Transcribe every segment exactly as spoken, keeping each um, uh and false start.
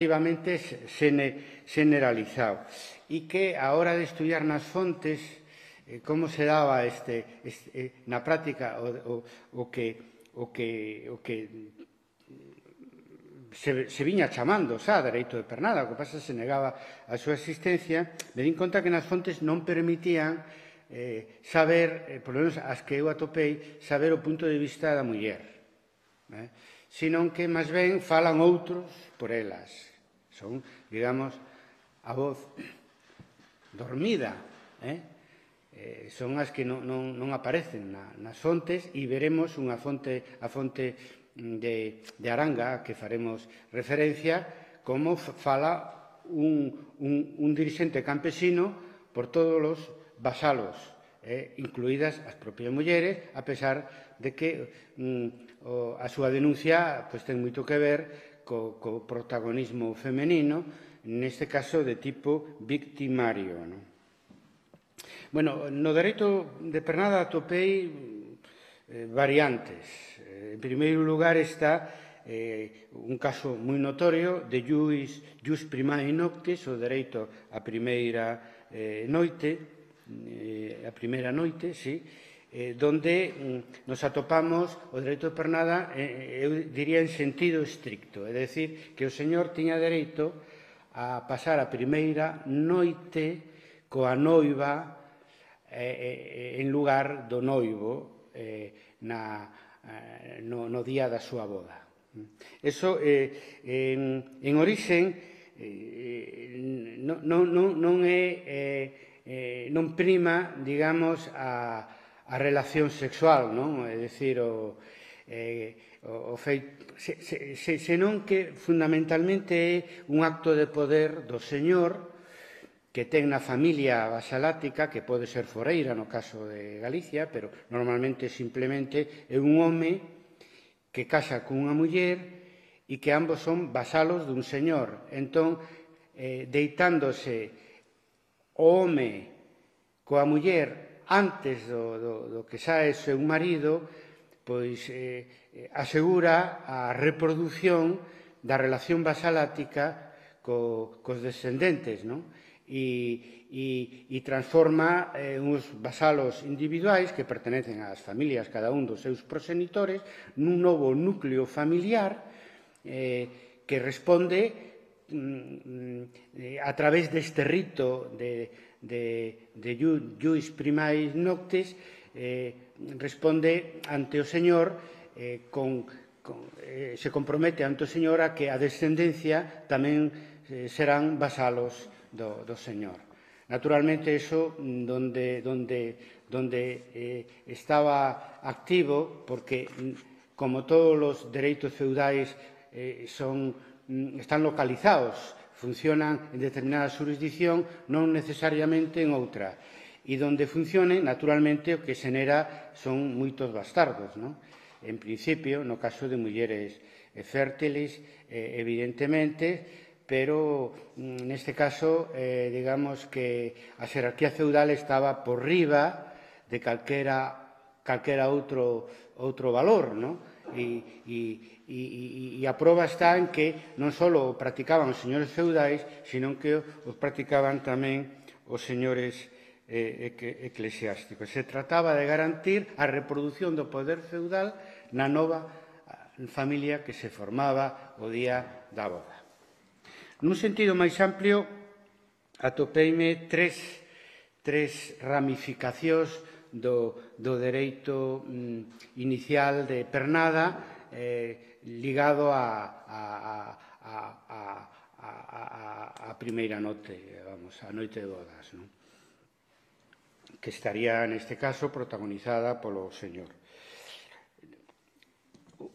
relativamente generalizado e que a hora de estudiar nas fontes eh, como se daba este, este, na práctica o, o, o que, o que, o que se, se viña chamando xa dereito de pernada, o que pasa se negaba a súa existencia, me din conta que nas fontes non permitían eh, saber, eh, por lo menos as que eu atopei, saber o punto de vista da muller, eh? Senón que máis ben falan outros por elas. Son, digamos, a voz dormida, eh? Eh, son as que non, non, non aparecen na, nas fontes e veremos unha fonte, a fonte de, de Aranga, que faremos referencia, como fala un, un, un dirixente campesino por todos os vasalos, eh, incluídas as propias mulleres, a pesar de que mm, o, a súa denuncia pues, ten moito que ver co, co protagonismo femenino, neste caso de tipo victimario. Non? Bueno, no dereito de pernada atopei eh, variantes. Eh, en primeiro lugar está eh, un caso moi notorio de jus, jus primae noctis, o dereito a primeira eh, noite, eh, a primeira noite, sí, eh, donde mm, nos atopamos o dereito de pernada, eh, eu diría en sentido estricto, é dicir, que o señor tiña dereito a pasar a primeira noite coa noiva eh, en lugar do noivo eh, na, eh, no, no día da súa boda. Eso, eh, en, en orixen, eh, non, non, non é... Eh, Eh, non prima, digamos, a, a relación sexual, non? É dicir, o, eh, o, o feito, se, se, se, senón que fundamentalmente é un acto de poder do señor que ten na familia vasalática, que pode ser foreira no caso de Galicia, pero normalmente simplemente é un home que casa cunha muller e que ambos son vasalos dun señor. Entón, eh, deitándose o home coa muller antes do, do, do que xa é seu marido, pois eh, asegura a reproducción da relación vasalática co, cos descendentes, non? E, e, e transforma eh, uns vasalos individuais que pertenecen ás familias, cada un dos seus proxenitores, nun novo núcleo familiar eh, que responde a través deste rito de, de, de jus primae noctis, eh, responde ante o Señor, eh, con, con, eh, se compromete ante o Señor a que a descendencia tamén eh, serán vasalos do, do Señor. Naturalmente, eso donde, donde, donde eh, estaba activo, porque como todos os dereitos feudais eh, son están localizados, funcionan en determinada jurisdicción, non necesariamente en outra. E donde funcionen, naturalmente, o que xenera son moitos bastardos, non? En principio, no caso de mulleres fértiles, eh, evidentemente, pero neste caso, eh, digamos que a xerarquía feudal estaba por riba de calquera, calquera outro, outro valor, non? E, e, e, e a prova está en que non só o practicaban os señores feudais, senón que os practicaban tamén os señores eh, eclesiásticos. Se trataba de garantir a reproducción do poder feudal na nova familia que se formaba o día da boda. Nun sentido máis amplio, atopeime tres, tres ramificacións do, do dereito mm, inicial de pernada eh, ligado a, a, a, a, a, a primeira noite, vamos, a noite de bodas, non? Que estaría, neste caso, protagonizada polo señor.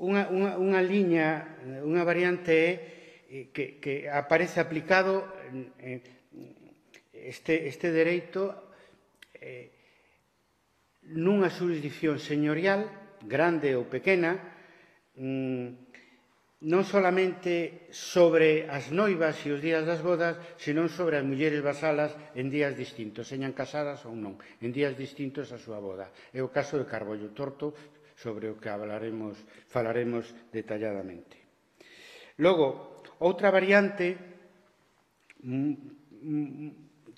Unha, unha, unha liña, unha variante é que, que aparece aplicado eh, este, este dereito eh, nunha xurisdicción señorial, grande ou pequena, non solamente sobre as noivas e os días das bodas, senón sobre as mulleres vasalas en días distintos, señan casadas ou non, en días distintos a súa boda. É o caso de Carbollo Torto, sobre o que falaremos, falaremos detalladamente. Logo, Outra variante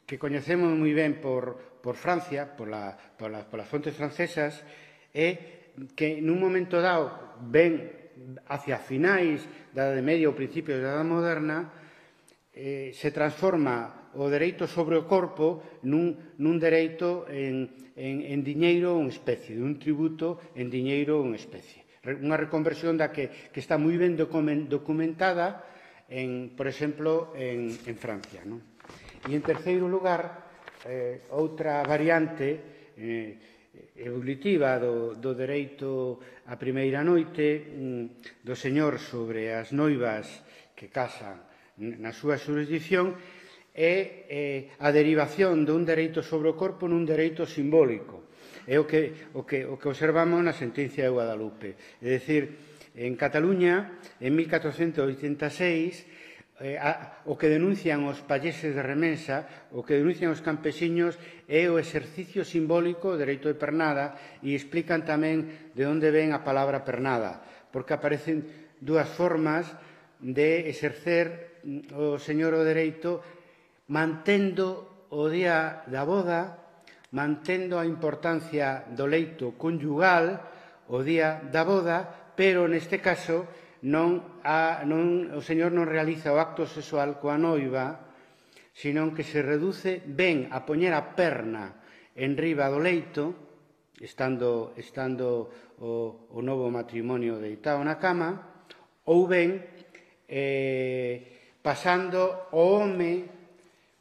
que coñecemos moi ben por, por Francia, pola, pola, polas fontes francesas, é que nun momento dado, ben hacia finais da Idade Media ou principios da Idade Moderna, eh, se transforma o dereito sobre o corpo nun, nun dereito en, en, en diñeiro ou en especie, un tributo en diñeiro ou en especie. Unha reconversión da que, que está moi ben documentada, en, por exemplo, en, en Francia. Non? E, en terceiro lugar, eh, outra variante eh, evolutiva do, do dereito á primeira noite mm, do señor sobre as noivas que casan na súa xurisdicción é eh, a derivación dun dereito sobre o corpo nun dereito simbólico. É o que, o que, o que observamos na sentencia de Guadalupe. É dicir, en Cataluña, en mil catrocentos oitenta e seis, eh, a, o que denuncian os payeses de Remensa, o que denuncian os campesiños é o exercicio simbólico do dereito de pernada e explican tamén de onde ven a palabra pernada, porque aparecen dúas formas de exercer o señor o dereito mantendo o día da boda, mantendo a importancia do leito conyugal o día da boda, pero neste caso non, a, non, o señor non realiza o acto sexual coa noiva, senón que se reduce ben a poñer a perna en riba do leito, estando, estando o, o novo matrimonio deitado na cama, ou ben eh, pasando o home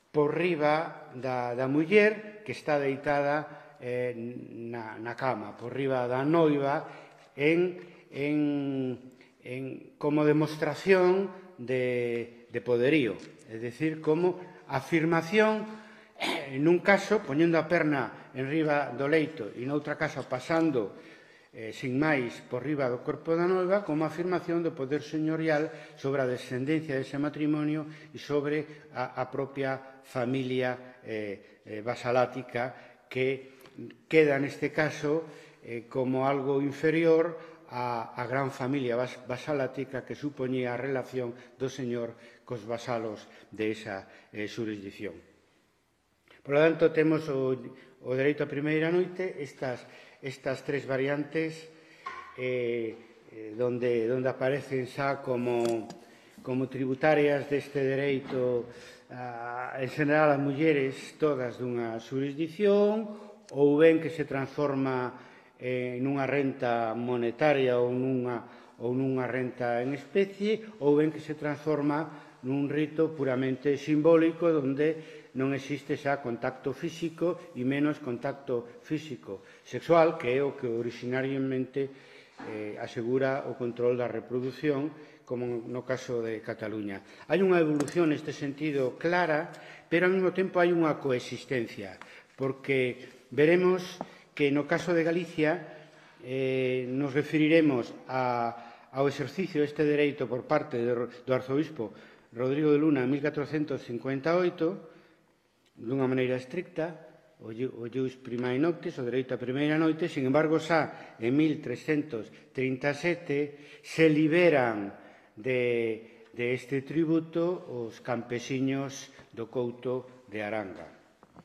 por riba da, da muller que está deitada eh, na, na cama, por riba da noiva, en, en En, como demostración de, de poderío, é dicir, como afirmación, en un caso, poñendo a perna en riba do leito e noutra caso pasando eh, sin máis por riba do corpo da noiva, como afirmación do poder señorial sobre a descendencia dese matrimonio e sobre a, a propia familia eh, eh, vasalática que queda neste caso eh, como algo inferior a, a gran familia vasalática que supoñía a relación do señor cos vasalos de esa eh, xurisdicción. Por lo tanto, temos o, o dereito á primeira noite, estas, estas tres variantes eh, eh, donde, donde aparecen xa como, como tributarias deste dereito a, en general as mulleres todas dunha xurisdicción, ou ben que se transforma eh, nunha renta monetaria ou nunha, ou nunha renta en especie, ou ben que se transforma nun rito puramente simbólico onde non existe xa contacto físico e menos contacto físico sexual, que é o que originariamente eh, asegura o control da reproducción, como no caso de Cataluña. Hai unha evolución neste sentido clara, pero ao mesmo tempo hai unha coexistencia, porque veremos que no caso de Galicia eh, nos referiremos a, ao exercicio deste dereito por parte do, do arzobispo Rodrigo de Luna en mil catrocentos cincuenta e oito, dunha maneira estricta, o ius primae noctis, o dereito á primeira noite. Sin embargo, xa en mil trescentos trinta e sete se liberan de, de este tributo os campesiños do Couto de Aranga.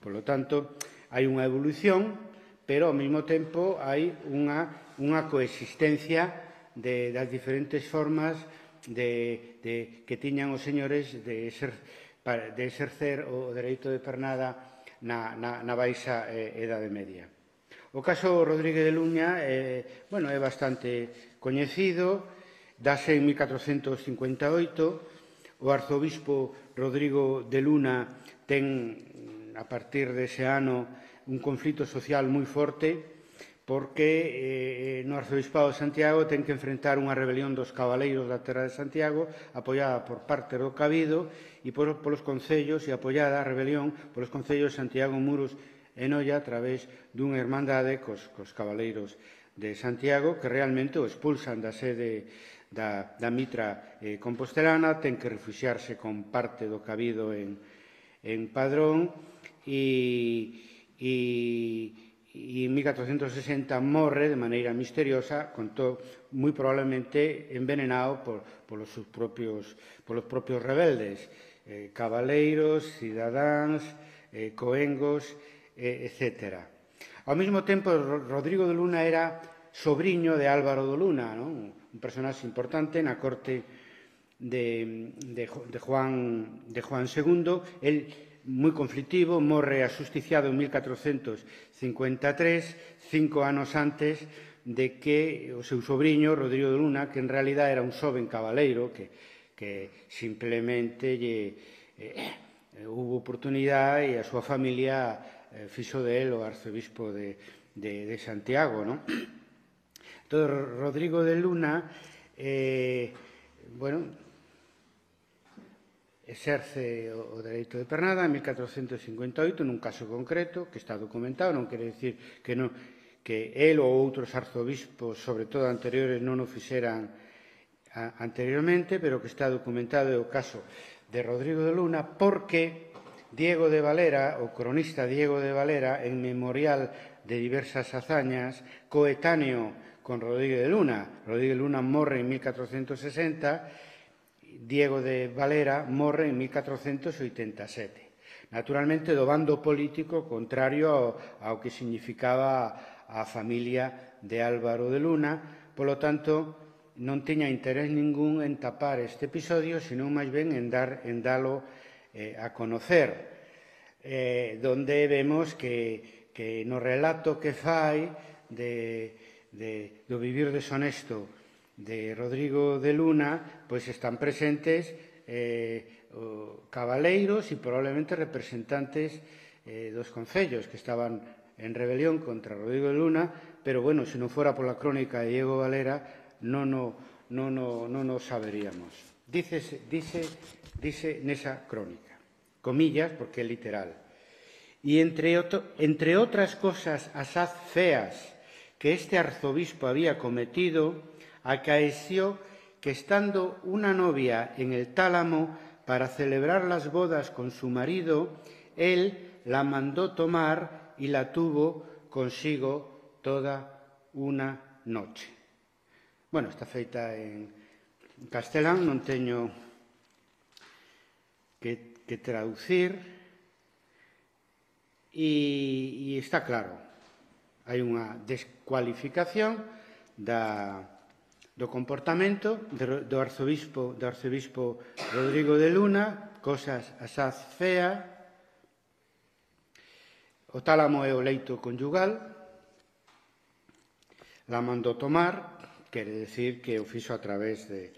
Por lo tanto, hai unha evolución, pero ao mesmo tempo hai unha, unha coexistencia de, das diferentes formas de, de, que tiñan os señores de, exer, de exercer o dereito de pernada na, na, na baixa eh, Edade Media. O caso Rodríguez de Luña eh, bueno, é bastante coñecido, dase en mil catrocentos cincuenta e oito, o arzobispo Rodrigo de Luna ten, a partir dese ano, un conflito social moi forte, porque eh, no arzobispado de Santiago ten que enfrentar unha rebelión dos cabaleiros da terra de Santiago, apoiada por parte do Cabido e por, polos concellos, e apoiada a rebelión polos concellos de Santiago, Muros e Noia, a través dunha hermandade cos, cos cabaleiros de Santiago, que realmente o expulsan da sede da, da mitra eh, compostelana, ten que refuxiarse con parte do Cabido en, en Padrón, e E, e en mil catrocentos sesenta morre de maneira misteriosa, contou, moi probablemente envenenado por, polos, seus propios, polos propios rebeldes, eh, cabaleiros, cidadáns, eh, coengos, eh, etcétera. Ao mesmo tempo, Rodrigo de Luna era sobriño de Álvaro de Luna, non? Un personaxe importante na corte de, de, de, Juan, de Juan segundo. El, moi conflictivo, morre axusticiado en mil catrocentos cincuenta e tres, cinco anos antes de que o seu sobriño, Rodrigo de Luna, que en realidad era un xoven cabaleiro, que, que simplemente lle, eh, hubo oportunidade e a súa familia eh, fixo de él o arzobispo de, de, de Santiago, non? Entón, Rodrigo de Luna, eh, bueno, exerce o dereito de pernada en mil catrocentos cincuenta e oito nun caso concreto que está documentado, non quere dicir que, non, que el ou outros arzobispos, sobre todo anteriores, non o fixeran a, anteriormente, pero que está documentado é o caso de Rodrigo de Luna, porque Diego de Valera, o cronista Diego de Valera, en memorial de diversas hazañas, coetáneo con Rodrigo de Luna. Rodrigo de Luna morre en mil catrocentos sesenta, Diego de Valera morre en mil catrocentos oitenta e sete. Naturalmente, do bando político contrario ao, ao que significaba a familia de Álvaro de Luna. Polo tanto, non tiña interés ningún en tapar este episodio, senón máis ben en, dar, en dalo eh, a conocer, eh, donde vemos que, que no relato que fai de, de, do vivir deshonesto de Rodrigo de Luna, pois están presentes eh, o, cabaleiros e probablemente representantes eh, dos concellos que estaban en rebelión contra Rodrigo de Luna, pero, bueno, se non fora pola crónica de Diego Valera, non o, non o, non o saberíamos. Dice, dice, dice nesa crónica, comillas, porque é literal. E entre, otro, entre outras cosas asaz feas que este arzobispo había cometido, acaeció que, estando una novia en el tálamo para celebrar las bodas con su marido, él la mandó tomar y la tuvo consigo toda una noche. Bueno, está feita en castelán, non teño que, que traducir, e, e está claro, hai unha descualificación da do comportamento do arzobispo, do arzobispo Rodrigo de Luna, cosas asaz fea. O tálamo é o leito conyugal, la mandou tomar, quere decir que o fixo a través de,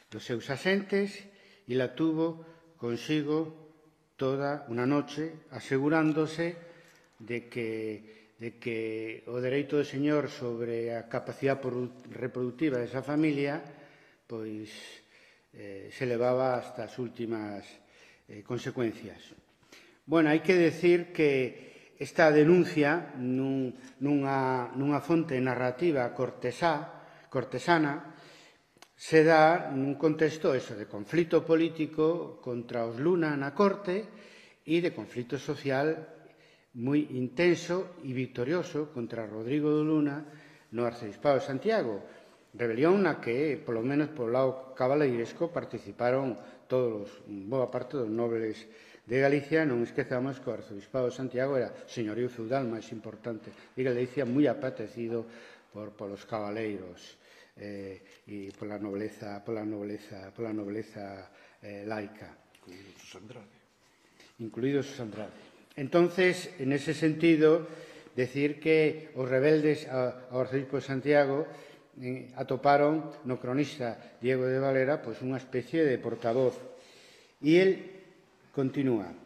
dos seus asentes, e la tuvo consigo toda unha noche, asegurándose de que de que o dereito do señor sobre a capacidade reproductiva desa familia pois eh, se levaba hasta as últimas eh, consecuencias. Bueno, hai que decir que esta denuncia nun, nunha, nunha fonte narrativa cortesá, cortesana se dá nun contexto eso, de conflito político contra os Luna na corte e de conflito social moi intenso e victorioso contra Rodrigo de Luna no arcebispado de Santiago, rebelión na que, polo menos polo lado cabaleiresco, participaron todos, boa parte dos nobles de Galicia. Non esquezamos que o arcebispado de Santiago era o señorío feudal máis importante de Galicia, moi apetecido por, polos cabaleiros eh, e pola nobleza, pola nobleza, pola nobleza eh, laica. Incluídos os Andrade. Incluídos os Andrade. Entonces, en ese sentido, decir que os rebeldes ao arzobispo de Santiago eh, atoparon no cronista Diego de Valera pois unha especie de portavoz. E el continúa.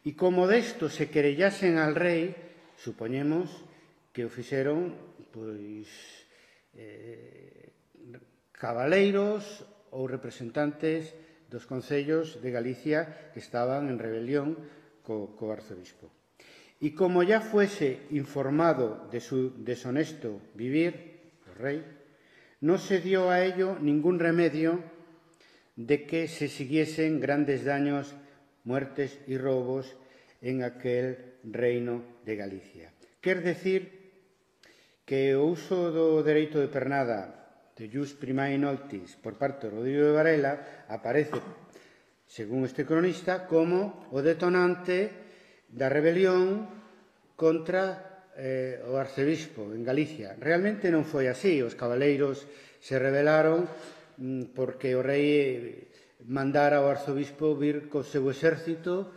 E como desto se querellasen al rei, supoñemos que o fixeron pois eh, cabaleiros ou representantes dos concellos de Galicia que estaban en rebelión co, co arzobispo. Y como ya fuese informado de su deshonesto vivir, el rey, no se dio a ello ningún remedio de que se siguiesen grandes daños, muertes y robos en aquel reino de Galicia. Quer decir que o uso do dereito de pernada de jus primae noctis por parte de Rodrigo de Varela aparece, según este cronista, como o detonante da rebelión contra eh, o arcebispo en Galicia. Realmente non foi así. Os cabaleiros se rebelaron mm, porque o rei mandara ao arzobispo vir co seu exército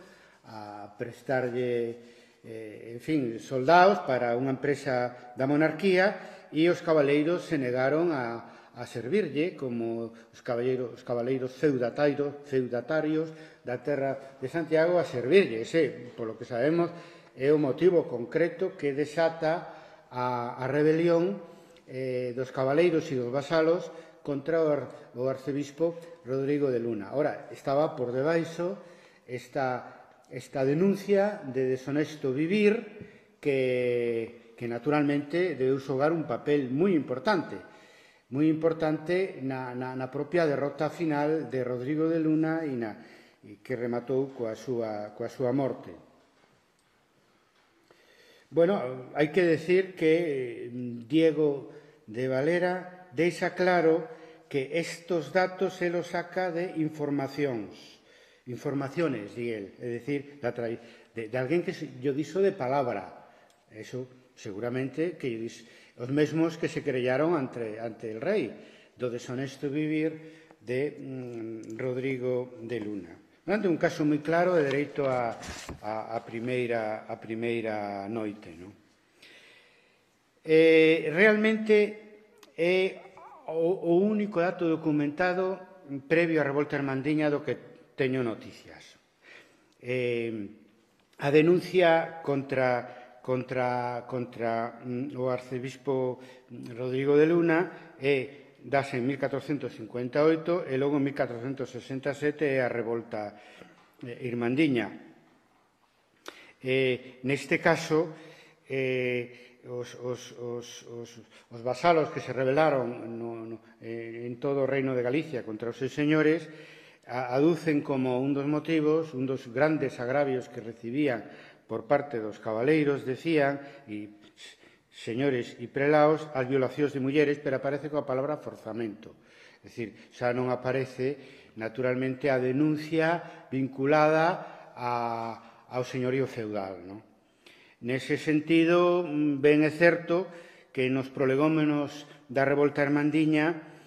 a prestarlle Eh, en fin, soldados para unha empresa da monarquía e os cabaleiros se negaron a, a servirlle como os cabaleiros, os cabaleiros feudatarios, feudatarios da terra de Santiago a servirlle. Ese, polo que sabemos, é o motivo concreto que desata a, a rebelión eh, dos cabaleiros e dos vasalos contra o, ar, o arcebispo Rodrigo de Luna. Ora, estaba por debaixo esta esta denuncia de deshonesto vivir que, que naturalmente debeu xogar un papel moi importante, moi importante na, na, na propia derrota final de Rodrigo de Luna e, na, e que rematou coa súa, coa súa morte. Bueno, hai que decir que Diego de Valera deixa claro que estos datos se los saca de informacións. Informaciones, di él, é dicir, de, de alguén que yo diso de palabra. Eso, seguramente, que dis, os mesmos que se querellaron ante, ante el rei, do deshonesto vivir de mm, Rodrigo de Luna. Durante un caso moi claro de dereito a, a, a, primeira, a primeira noite. No? Eh, realmente é o, o único dato documentado previo á revolta hermandiña do que teño noticias. Eh, a denuncia contra, contra, contra mm, o arcebispo Rodrigo de Luna é dase en mil catrocentos cincuenta e oito e logo en mil catrocentos sesenta e sete é a revolta eh, irmandiña. Eh, neste caso, eh, os, os, os, os, os vasalos que se rebelaron no, no, eh, en todo o reino de Galicia contra os seus señores aducen como un dos motivos, un dos grandes agravios que recibían por parte dos cabaleiros, decían, e señores e prelaos, as violacións de mulleres, pero aparece coa palabra forzamento. É dicir, xa non aparece, naturalmente, a denuncia vinculada a, ao señorío feudal. No? Nese sentido, ben é certo que nos prolegómenos da revolta hermandiña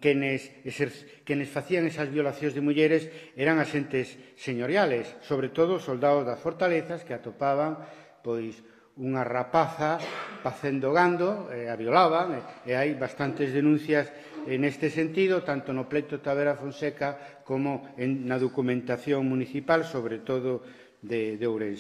quenes, quenes facían esas violacións de mulleres eran asentes señoriales, sobre todo soldados das fortalezas que atopaban pois unha rapaza facendo gando, e a violaban, e hai bastantes denuncias neste sentido, tanto no pleito Tavera Fonseca como en, na documentación municipal, sobre todo de, de Ourense.